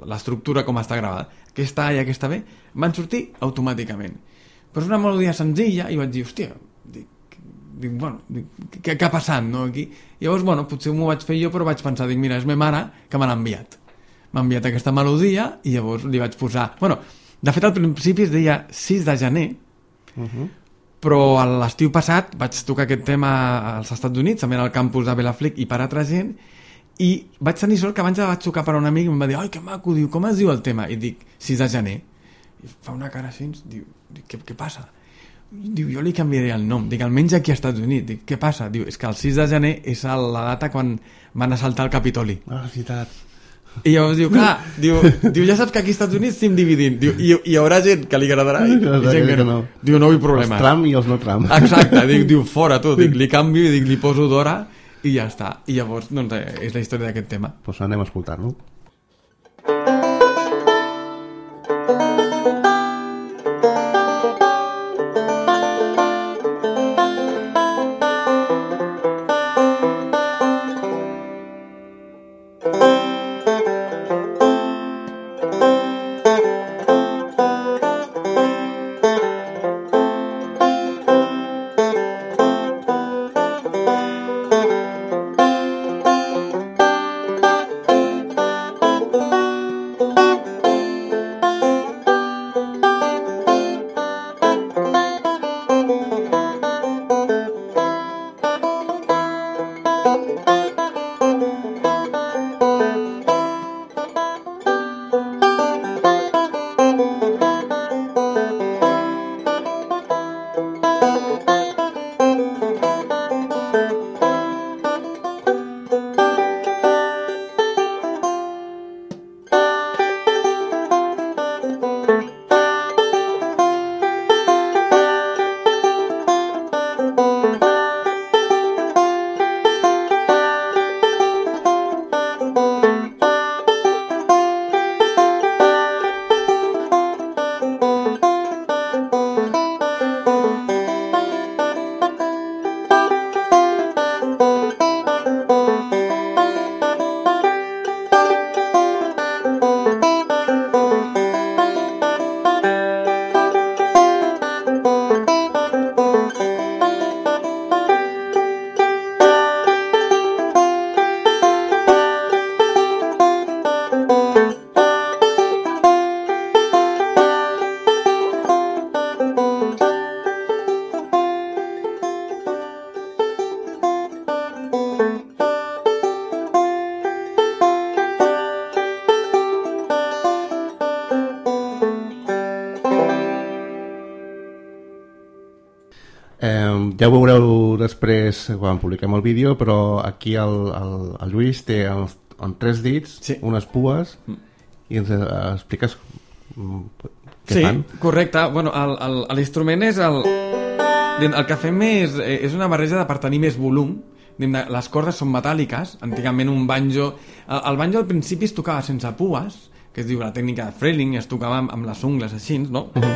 l'estructura com està gravada, aquesta A i aquesta B van sortir automàticament, però és una melodia senzilla i vaig dir, hòstia, dic, dic, bueno, dic, què, què ha passat, no, aquí? I llavors, bueno, potser m'ho vaig fer jo, però vaig pensar, dic, mira, és meva mare que me l'ha enviat m'ha enviat aquesta melodia i llavors li vaig posar, bueno, de fet al principi es deia sis de gener, uh-huh. però l'estiu passat vaig tocar aquest tema als Estats Units, també al campus de Bela Fleck i per altra gent, i vaig tenir sort que abans la vaig tocar per un amic i em va dir, ai, que maco, diu, com es diu el tema? I dic, sis de gener. I fa una cara així, diu, què, què passa? Diu, jo li canviaré el nom. Dic, almenys aquí als Estats Units. Dic, què passa? Diu, és que el sis de gener és la data quan van assaltar el Capitoli. Ah, és veritat. I llavors diu, clar, diu, diu, ja saps que aquí als Estats Units estem dividint. Diu, i hi haurà gent que li agradarà i, i gent que no. Diu, no vull problemes. Els Trump i els no Trump. Exacte, dic, diu, fora tu. Dic, li canvio i dic, li poso Dora i ja està. I llavors, doncs, és la història d'aquest tema. Doncs pues anem a escoltar-lo. Eh, ja ho veureu després quan publiquem el vídeo, però aquí el, el, el Lluís té en, en tres dits sí. unes pues mm. i ens eh, expliques què sí, fan. Sí, correcte. Bueno, l'instrument és el... El que fem és, és una barreja per tenir més volum. Les cordes són metàl·liques. Antigament un banjo... El, el banjo al principi es tocava sense pues, que es diu la tècnica de Freling, es tocava amb, amb les ungles així, no? Uh-huh.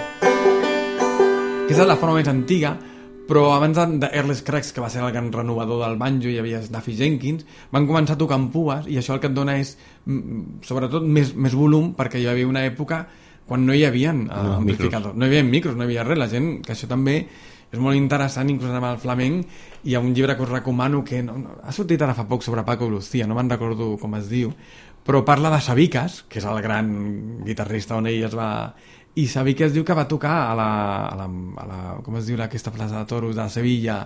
Aquesta és la forma més antiga, però abans de Earl Scruggs, que va ser el gran renovador del banjo, hi havia Duffy Jenkins, van començar a tocar amb pues, i això el que et dona és, sobretot, més, més volum, perquè hi havia una època quan no hi havia uh, no, amplificadors, no hi havia micros, no hi havia res, la gent, que això també és molt interessant, inclús amb el flamenc. Hi ha un llibre que us recomano que no, no, ha sortit ara fa poc sobre Paco Lucía, no me'n recordo com es diu, però parla de Sabicas, que és el gran guitarrista on ell es va... I Sabicas diu que va tocar a la, a la, a la com es diu aquesta plaça de toros de Sevilla,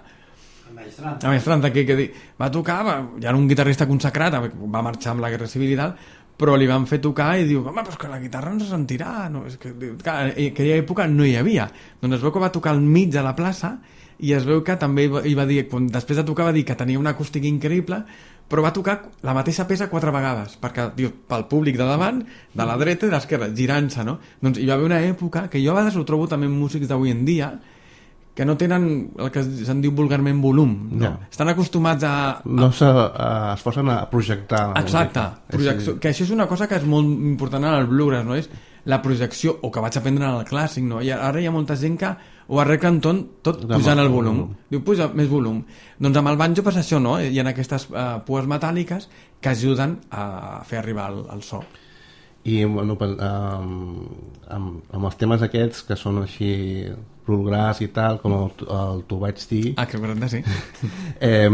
a Maestranta, que, que va tocar, va, ja era un guitarrista consagrat, va marxar amb la Guerra Civil i tal, però li van fer tocar i diu, home, però és que la guitarra no se sentirà, no, és que, clar, en aquella època no hi havia, doncs es veu que va tocar al mig de la plaça i es veu que també hi va dir, quan després de tocar va dir que tenia una acústica increïble, però va tocar la mateixa peça quatre vegades, perquè, diu, pel públic de davant, de la dreta i de l'esquerra, girant-se, no? Doncs hi va haver una època, que jo a vegades ho trobo també en músics d'avui en dia, que no tenen el que se'n diu vulgarment volum, no? Ja. Estan acostumats a... a... No s'esforcen a projectar la Exacte, projecció, que això és una cosa que és molt important en el bluegrass, no? És la projecció, o que vaig aprendre en el clàssic, no? I ara hi ha molta gent que ho arreglen tot, tot pujant el volum. Diu, puja més volum. Doncs amb el banjo passa això, no? Hi ha aquestes uh, pues metàl·liques que ajuden a fer arribar el, el so. I bueno, amb, amb, amb els temes aquests que són així bluegrass i tal, com el, el Tu vaig dir, ah, que correcte, sí. eh,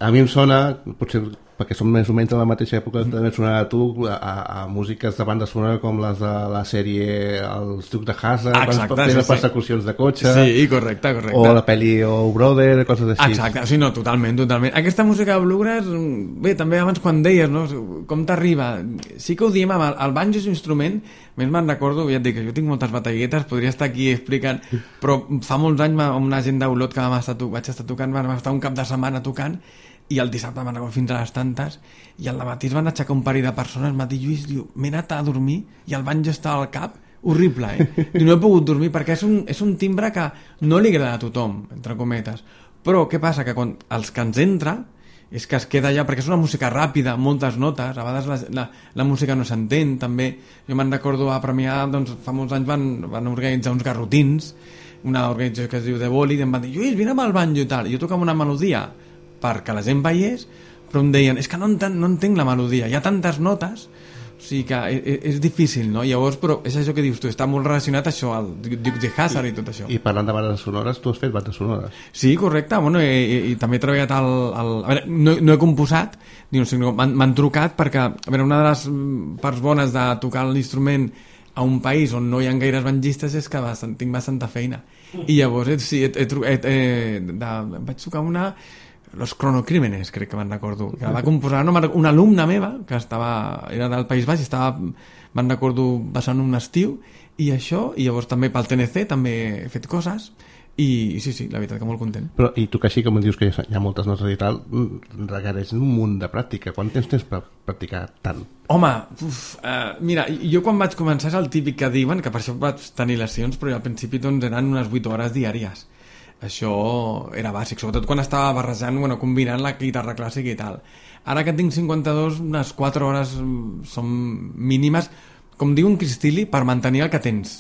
a mi em sona, potser perquè som més o menys de la mateixa època, també et sonarà a tu a, a músiques de banda sonora com les de la sèrie Els Ducs de Hazzard, quan es pot fer les persecucions de cotxe, sí, correcte, correcte, o la pel·li Oh Brother, coses així. Exacte, sí, no, totalment, totalment. Aquesta música de bluegrass, bé, també abans quan deies, no, com t'arriba, sí que ho diem, amb el, el banjo és un instrument, més me'n recordo, ja et dic, jo tinc moltes batalletes, podria estar aquí explicant, però fa molts anys amb una gent d'Olot que vam estar, vaig estar tocant, vam estar un cap de setmana tocant, i el dissabte van anar fins a les tantes i al matí es van aixecar un parell de persones. Matí Lluís diu, m'he anat a dormir i el banjo està al cap, horrible, eh? I no he pogut dormir perquè és un, és un timbre que no li agrada a tothom, entre cometes, però què passa? Que quan els que ens entra és que es queda allà, perquè és una música ràpida, moltes notes, a vegades la, la, la música no s'entén, també. Jo me'n recordo a Premià, doncs fa molts anys van, van organitzar uns garrotins, una organització que es diu The Bolid, i em van dir, Lluís, vine amb el banjo i tal, i jo tocava una melodia perquè la gent veiés, però em deien, és que no entenc, no entenc la melodia, hi ha tantes notes, o sigui que és, és difícil, no? Llavors, però és això que dius tu, està molt relacionat això, el Dukes de Hazzard i, i tot això. I parlant de bandes sonores, tu has fet bandes sonores. Sí, correcte, bueno, i, i, i també he treballat al... al a veure, no, no he composat, no, m'han trucat perquè, a veure, una de les parts bones de tocar l'instrument a un país on no hi ha gaires bangistes és que bastant, tinc bastanta feina. I llavors, sí, he, he, he, he, de, vaig tocar una... Los Cronocrímenes, crec que me'n recordo, que va composar no, una alumna meva que estava, era del País Baix i estava, me'n recordo, passant un estiu i això, i llavors també pel T N C també he fet coses i, i sí, sí, la veritat que molt content. Però i tu que així, com dius que hi ha moltes notes i tal, requereix un munt de pràctica. Quant temps tens per practicar tant? Home, uf, uh, mira, jo quan vaig començar és el típic que diuen, que per això vaig tenir lesions, però al principi doncs eren unes vuit hores diàries. Això era bàsic, sobretot quan estava barrejant, bueno, combinant la guitarra clàssica i tal. Ara que tinc cinquanta-dos, unes quatre hores són mínimes, com diu un Cristilli, per mantenir el que tens.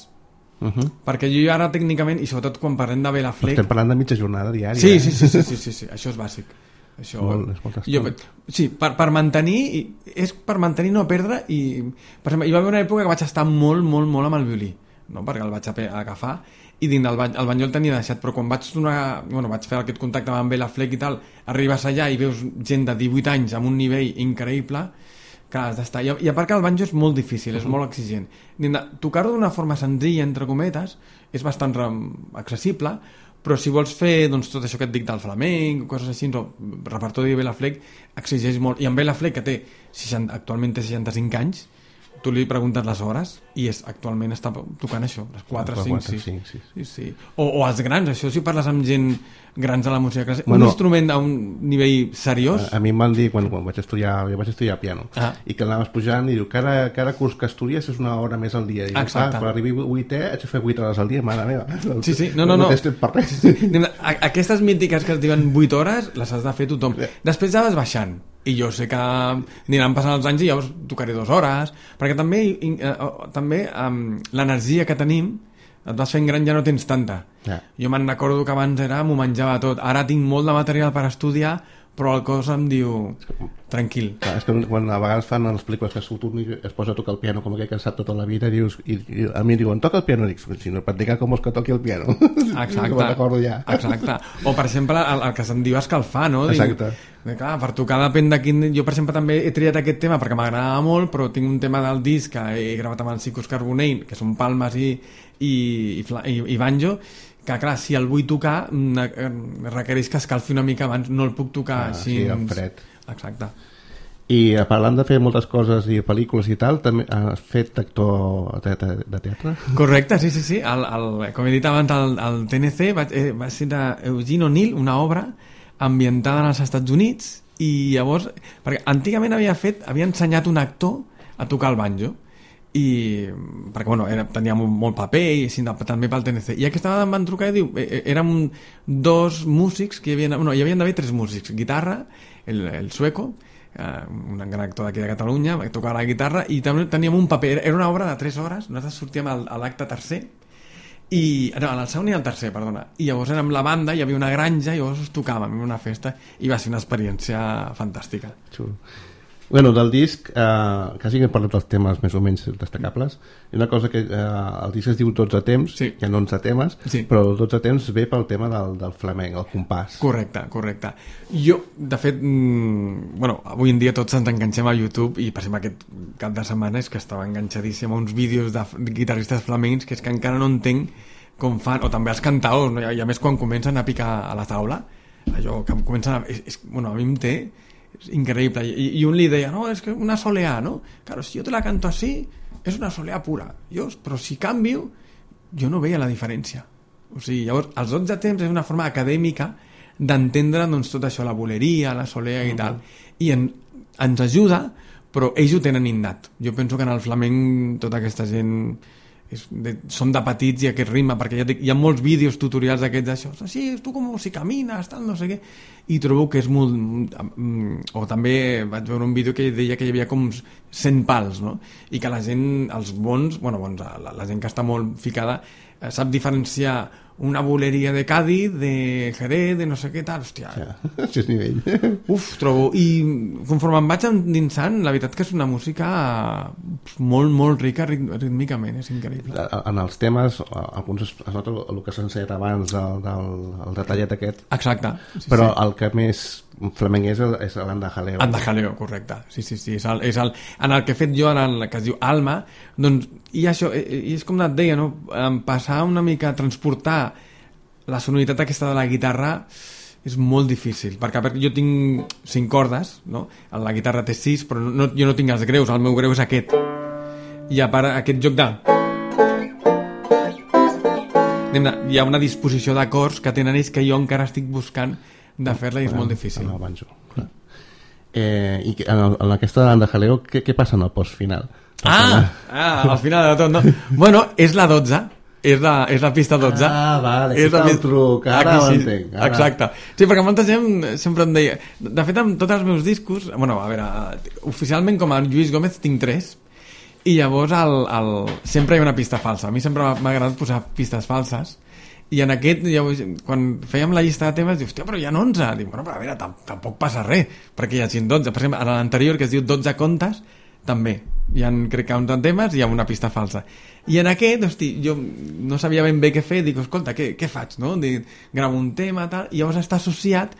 Uh-huh. Perquè jo ara tècnicament, i sobretot quan parlem de Bela Fleck... Estem parlant de mitja jornada diària. Sí, sí, sí, sí, sí, sí, sí. Això és bàsic. Això, molt, és molt jo, sí, per, per mantenir, és per mantenir no perdre, i per exemple, hi va haver una època que vaig estar molt, molt, molt amb el violí, no? Perquè el vaig agafar, i dins del bany, el banjo el tenia deixat, però quan vaig donar, bueno, vaig fer aquest contacte amb Bela Fleck i tal, arribes allà i veus gent de divuit anys amb un nivell increïble que has d'estar, i, i a part que el banjo és molt difícil, és molt exigent. Tocar-ho d'una forma senzilla, entre cometes, és bastant accessible, però si vols fer doncs, tot això que et dic del flamenc, coses així, no, repertori de Bela Fleck exigeix molt, i amb Bela Fleck, que té seixanta, actualment té seixanta-cinc anys, tu li preguntes les hores i és, actualment està tocant això, les quatre, cinc, sis. Sí. Sí, sí. O, o els grans, això si parles amb gent grans de la música clàssica, bueno, un instrument a un nivell seriós. A, a mi em van dir, quan, quan vaig estudiar, jo vaig estudiar piano, ah. i que anaves pujant i diu, cada, cada curs que estudies és una hora més al dia. I exacte. Clar, quan arribi vuitè, haig de fer vuit hores al dia, mare meva. Sí, sí, no, no, no. No t'he per res. Sí, sí. Aquestes mítiques que es diuen vuit hores, les has de fer tothom. Després ja vas baixant. I jo sé que aniran passant els anys i llavors tocaré dues hores, perquè també, eh, també um, l'energia que tenim, et vas fent gran, ja no tens tanta. Yeah. Jo me'n recordo que abans era m'ho menjava tot, ara tinc molt de material per estudiar, però el cos em diu tranquil. Clar, és que quan a vegades fan les pel·lícules que surt un i es posa a tocar el piano com aquell que ha estat tota la vida, dius, i, i a mi diuen, toca el piano, dic, si no et dic com vols que toqui el piano. Exacte. Que me'n recordo ja. Exacte. O per exemple el, el que se'n diu escalfar, no? Exacte. Dic, clar, per tocar depèn de quin... Jo per exemple també he triat aquest tema perquè m'agradava molt, però tinc un tema del disc que he gravat amb el Cicus Carbonell, que són palmes i, i, i, i, i banjo, que clar, si el vull tocar requereix que escalfi una mica abans, no el puc tocar ah, així. Sí, en fred. Exacte. I parlant de fer moltes coses i pel·lícules i tal, també has fet actor de, de, de teatre? Correcte, sí, sí, sí. El, el, com he dit abans, el, el T N C va, eh, va ser d'Eugene O'Neill, una obra ambientada als Estats Units, i llavors, perquè antigament havia fet, havia ensenyat un actor a tocar el banjo, i perquè bueno, era, tenia molt, molt paper i així, també pel T N C, i aquesta vegada em van trucar i diu, eh, érem dos músics que hi havia, bueno, hi havien d'haver tres músics, guitarra, el, el sueco, eh, un gran actor d'aquí de Catalunya, va tocar la guitarra, i també teníem un paper, era una obra de tres hores, nosaltres sortíem al, a l'acte tercer i, no, al segon i al tercer, perdona, i llavors érem la banda, hi havia una granja i llavors tocàvem en una festa i va ser una experiència fantàstica. Xulo. Bueno, del disc, eh, quasi que hem parlat dels temes més o menys destacables, i una cosa que eh, el disc es diu dotze temps, sí. Hi ha onze temes, sí. Però dotze temps ve pel tema del, del flamenc, el compàs. Correcte, correcte. Jo, de fet, mmm, bueno, avui en dia tots ens enganxem a YouTube, i per exemple aquest cap de setmana és que estava enganxadíssim a uns vídeos de guitarristes flamencs que és que encara no entenc com fan, o també els cantaors, no? I a més quan comencen a picar a la taula, allò que comencen a... És, és, bueno, a mi em té... és increïble, I, i un li deia no, és que una soleá, no? Claro, si yo te la canto así, es una soleá pura jo, però si canvio, jo no veia la diferència, o sigui, llavors els dotze temps és una forma acadèmica d'entendre doncs, tot això, la boleria, la soleá i tal, i en, ens ajuda, però ells ho tenen innat. Jo penso que en el flamenc tota aquesta gent és de, són de petits i aquest ritme, perquè ja dic, hi ha molts vídeos tutorials d'aquests d'això, sí, tu com si camines, tal, no sé què, i trobo que és molt... O també vaig veure un vídeo que deia que hi havia com cent pals, no? I que la gent, els bons, bueno, bons, la, la gent que està molt ficada, sap diferenciar una boleria de Cádiz, de Jerez, de no sé què tal, hòstia. Ja, això és nivell. Uf, trobo, i conforme em vaig endinsant, la veritat que és una música molt, molt rica rítmicament, és increïble. En els temes, alguns es nota el que s'ha ensenyat abans, el, del, el detallet aquest. Exacte. Sí, però sí. El que més flamenc és, el, és l'andajaleo. Andajaleo, correcte. Sí, sí, sí. És el, és el, en el que he fet jo, en el que es diu Alma, doncs, i això, i és com et deia, no? Passar una mica, transportar la sonoritat aquesta de la guitarra és molt difícil, perquè jo tinc cinc cordes, no? La guitarra té sis, però no, jo no tinc els greus, el meu greu és aquest. I a part, aquest joc de... Hi ha una disposició d'acords que tenen ells que jo encara estic buscant de fer-la i és molt difícil. En el banjo, clar. Eh, I en, el, en aquesta andajaleo, què, què passa en el post final? Ah, ah, al final de tot, no? Bueno, és la dotze, és la, és la pista dotze. Ah, vale, és la... el truc, ara ho entenc. Ara. Exacte. Sí, perquè molta gent sempre em deia... De fet, amb tots els meus discos... Bueno, a veure, oficialment com a Lluís Gómez tinc tres, i llavors el, el, sempre hi ha una pista falsa. A mi sempre m'ha agradat posar pistes falses, i en aquest, llavors, quan fèiem la llista de temes, dius, hòstia, però hi ha onze. Dic, bueno, però a veure, tampoc passa res, perquè hi ha dotze. Per exemple, en l'anterior, que es diu dotze contes, també hi ha, crec que onze temes i hi ha una pista falsa. I en aquest, hosti, jo no sabia ben bé què fer, dic, escolta, què, què faig, no? Dic, gravo un tema, tal, i llavors està associat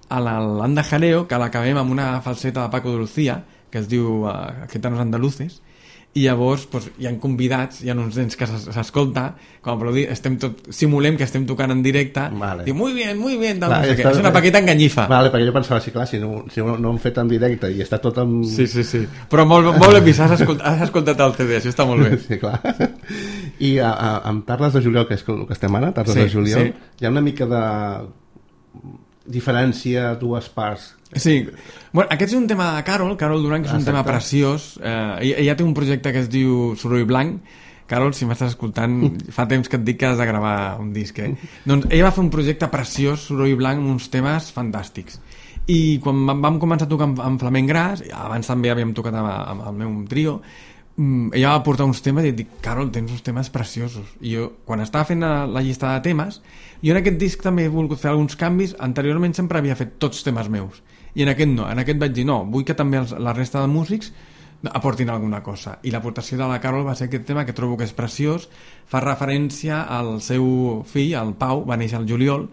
a l'andajaleo, que l'acabem amb una falseta de Paco de Lucía, que es diu uh, Gitanos Andaluces, i llavors doncs, hi ha convidats, hi ha uns nens que s'escolta, com a aplaudir, estem tot, simulem que estem tocant en directe, vale. diu, muy bien, muy bien, tal, Clar, no sé està... què. És una paqueta enganyifa. Vale, perquè jo pensava, sí, clar, si no, si no, no hem fet en directe i està tot en... Sí, sí, sí. Però molt, molt ben vist, has escoltat, has escoltat el C D, això està molt bé. Sí, clar. I a, a, amb Tardes de Juliol, que és el que estem ara, Tardes sí, de Juliol, sí. hi ha una mica de diferència a dues parts. Sí, bueno, aquest és un tema de Carol, Carol Duran, que és un Exacte. tema preciós. Eh, ella, ella té un projecte que es diu Soroll Blanc. Carol, si m'estàs escoltant, fa temps que et dic que has de gravar un disc, eh? Doncs ella va fer un projecte preciós, Soroll Blanc, amb uns temes fantàstics. I quan vam començar a tocar amb, amb Flamenc Gras, abans també havíem tocat amb, amb el meu trio, ella va portar uns temes i et dic, Carol, tens uns temes preciosos. I jo, quan estava fent la, la llista de temes, jo en aquest disc també he volgut fer alguns canvis. Anteriorment sempre havia fet tots temes meus, i en aquest no, en aquest vaig dir no, vull que també els, la resta de músics aportin alguna cosa, i l'aportació de la Carol va ser aquest tema que trobo que és preciós. Fa referència al seu fill, el Pau, va néixer al juliol,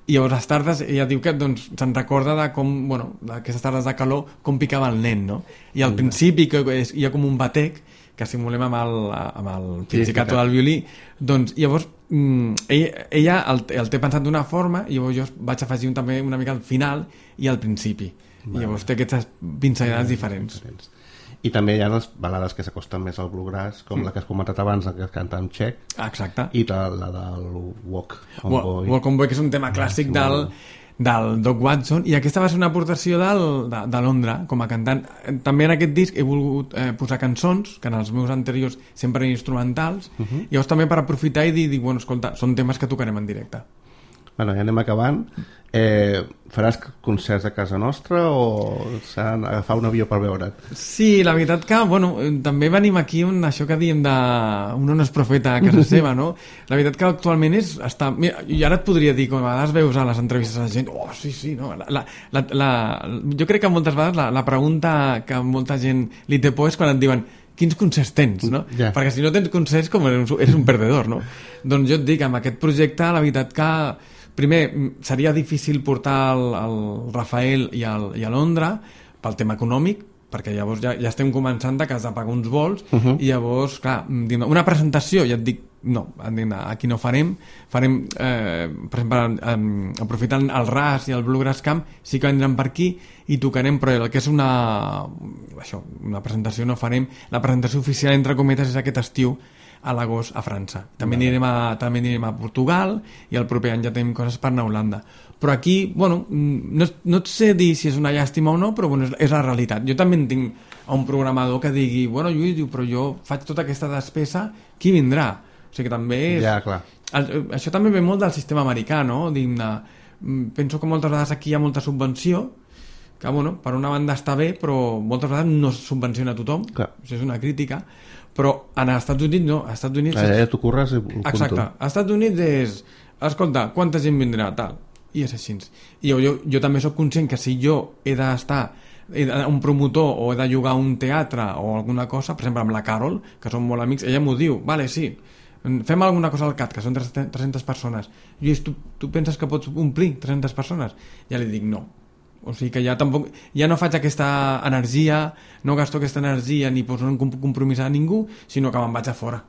i llavors les tardes ella diu que doncs, se'n recorda de com, bueno, d'aquestes tardes de calor, com picava el nen, no? I al principi que és, hi ha com un batec que simulem amb el, amb el pizzicato del violí, doncs llavors mm, ella, ella el, el té pensat d'una forma, i llavors jo vaig afegir un, també una mica al final i al principi. Vale. I llavors té aquestes pinzellades vale, diferents. diferents. I també hi ha les balades que s'acosten més al bluegrass, com mm. la que has comentat abans, la que canta en txec. Exacte. I la, la del Walk on Walk, Boy. Walk on Boy, que és un tema clàssic del, del Doc Watson, i aquesta va ser una aportació del, de, de Londra com a cantant. També en aquest disc he volgut eh, posar cançons, que en els meus anteriors sempre eren instrumentals, uh -huh. i llavors també per aprofitar i dir, dir, bueno, escolta, són temes que tocarem en directe. Bueno, ja anem acabant. Eh, faràs concerts a casa nostra o s'ha d'agafar un avió per veure't? Sí, la veritat que, bueno, també venim aquí on això que diem de un no és profeta a casa seva, no? La veritat que actualment és... Està... Mira, i ara et podria dir, com a vegades veus a les entrevistes a la gent, oh, sí, sí, no? La, la, la, la... Jo crec que moltes vegades la, la pregunta que molta gent li té por és quan et diuen quins concerts tens, no? Yeah. Perquè si no tens concerts, com eres un, eres un perdedor, no? Doncs jo et dic, amb aquest projecte, la veritat que primer, seria difícil portar el, el Rafael i, el, i a Londra pel tema econòmic, perquè llavors ja, ja estem començant de que has de pagar uns vols, uh -huh. i llavors, clar, una presentació, ja et dic, no, aquí no farem, farem, eh, per exemple, eh, aprofitant el Ras i el Bluegrass Camp, sí que vendrem per aquí i tocarem, però el que és una, això, una presentació no farem. La presentació oficial, entre cometes, és aquest estiu, a l'agost a França. També anirem a, també anirem a Portugal, i el proper any ja tenim coses per anar a Holanda. Però aquí, bueno, no, no et sé dir si és una llàstima o no, però bueno, és, és la realitat. Jo també en tinc a un programador que digui, bueno, Lluís, diu, però jo faig tota aquesta despesa, qui vindrà? O sigui que també és... Ja, clar. El, això també ve molt del sistema americà, no? Digne, penso que moltes vegades aquí hi ha molta subvenció, que, bueno, per una banda està bé, però moltes vegades no es subvenciona a tothom. Clar. Això és una crítica. Però en els Estats Units no, als Estats Units... Allà ja t'ho curres i ho exacte, als Estats Units és escolta, quanta gent vindrà, tal, i és així. I jo, jo, jo també sóc conscient que si jo he d'estar un promotor o he de llogar un teatre o alguna cosa, per exemple amb la Carol, que som molt amics, ella m'ho diu, vale, sí, fem alguna cosa al C A T, que són tres-centes persones. Lluís, tu, tu penses que pots omplir tres-centes persones? Ja li dic no. O sigui que ja tampoc, ja no faig aquesta energia, no gasto aquesta energia ni poso un compromís a ningú, sinó que me'n vaig a fora,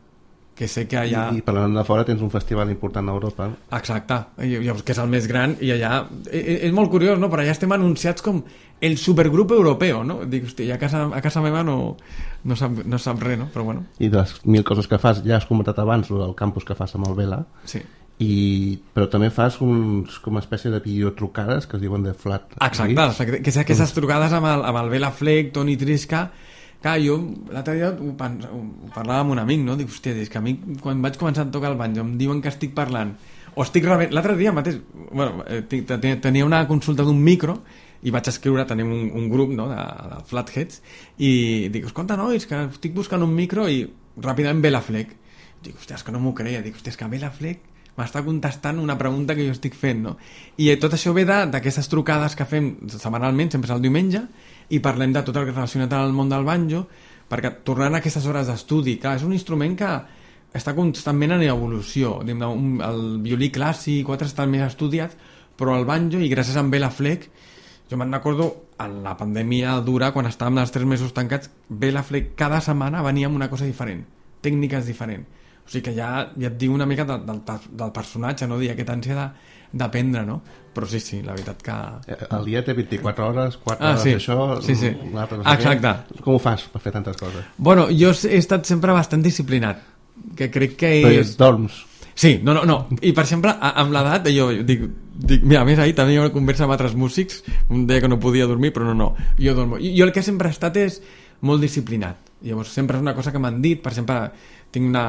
que sé que allà... I, i parlant de fora tens un festival important a Europa. Exacte, llavors, que és el més gran, i allà és, és molt curiós, no? Però allà estem anunciats com el supergrup europeu, no? Dic, hòstia, a casa, a casa meva no, no, sap, no sap res, no? Però bueno. I de les mil coses que fas, ja has comentat abans el campus que fas amb el Vela. Sí. I, però també fas uns, com una espècie de videotrucades que es diuen de flat. Exacte, que és aquestes trucades amb el, amb el Bela Fleck, Toni Trisca. Clar, jo l'altre dia ho, ho parlava amb un amic, no? Dic, hòstia, és que a mi quan vaig començar a tocar el banjo em diuen que estic parlant o estic rebent, l'altre dia mateix, bueno, tenia una consulta d'un micro i vaig escriure, tenim un, un grup, no?, de, de Flatheads, i dic, escolta, nois, que estic buscant un micro, i ràpidament Bela Fleck. Dic, hòstia, és que no m'ho creia. Dic, hòstia, és que Bela Fleck m'està contestant una pregunta que jo estic fent, no? I tot això ve d'aquestes trucades que fem setmanalment, sempre és el diumenge, i parlem de tot el relacionat amb el món del banjo, perquè tornant a aquestes hores d'estudi, clar, és un instrument que està constantment en evolució. El violí clàssic, altres estan més estudiats, però el banjo, i gràcies a Bela Fleck, jo me'n recordo en la pandèmia dura, quan estàvem els tres mesos tancats, bé la Fleck, cada setmana venia amb una cosa diferent, tècniques diferents. O sigui que ja, ja et diu una mica del, del, del personatge, no? Dir aquesta ànsia de, d'aprendre, no? Però sí, sí, la veritat que... El dia té vint-i-quatre hores, quatre ah, hores sí. d'això... Sí, sí. No exacte. Què. Com ho fas per fer tantes coses? Bueno, jo he estat sempre bastant disciplinat, que crec que és... Però dorms? Sí, no, no, no. I per exemple, amb l'edat, jo dic, dic, mira, a més ahir també hi ha una conversa amb altres músics, un deia que no podia dormir, però no, no, jo dormo. I, jo el que sempre he estat és molt disciplinat. Llavors sempre és una cosa que m'han dit, per exemple, tinc una...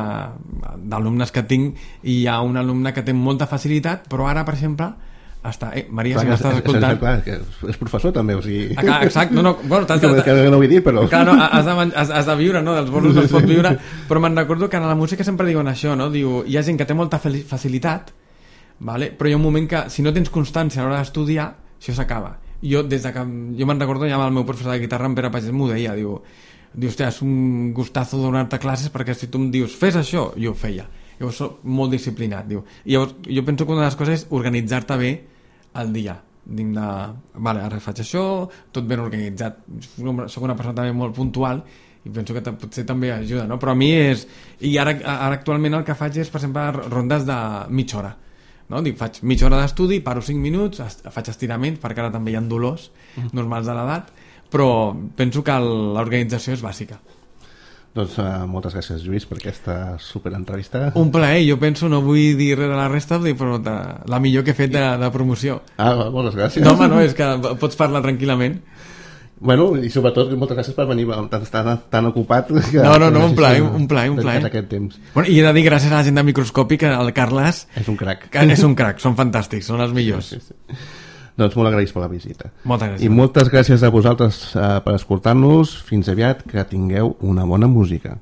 d'alumnes que tinc, i hi ha un alumne que té molta facilitat, però ara, per exemple, està... Eh, Maria, clar, si m'estàs escoltant... Clar, que és professor també, o sigui... Ah, exacte, no, no... Bueno, que, que no ho vull dir, però... Clar, no, has de, has, has de viure, no? Dels bolos no es pot viure, però me'n recordo que en la música sempre diuen això, no? Diu, hi ha gent que té molta facilitat, vale? Però hi ha un moment que, si no tens constància a l'hora d'estudiar, això s'acaba. Jo, des de que... Jo me'n recordo ja amb el meu professor de guitarra, en Pere Pagès, m'ho deia, diu... Diu, hòstia, és un gustazo donar-te classes perquè si tu em dius, fes això, jo ho feia. Llavors soc molt disciplinat, diu. I llavors jo penso que una de les coses és organitzar-te bé el dia. Dic de, vale, ara faig això, tot ben organitzat. Soc una persona també molt puntual i penso que potser també ajuda, no? Però a mi és... I ara, ara actualment el que faig és, per exemple, rondes de mitja hora. No? Dic, faig mitja hora d'estudi, paro cinc minuts, faig estiraments, perquè ara també hi ha dolors normals de l'edat, però penso que l'organització és bàsica. Doncs uh, moltes gràcies, Lluís, per aquesta superentrevista. Un plaer, jo penso, no vull dir res de la resta, però de, la millor que he fet de, de promoció. Ah, moltes gràcies. No, home, no, és que pots parlar tranquil·lament. Bueno, i sobretot moltes gràcies per venir tan, tan, tan ocupat que, no, no, no, un plaer, un plaer, un plaer. Aquest temps. Bueno, i he de dir gràcies a la gent de Microscòpic, el Carles és un crac, que és un crac, són fantàstics, són els millors. Sí, sí, sí. Doncs molt agraïts per la visita. Moltes gràcies. I moltes gràcies a vosaltres uh, per escoltar-nos. Fins aviat, que tingueu una bona música.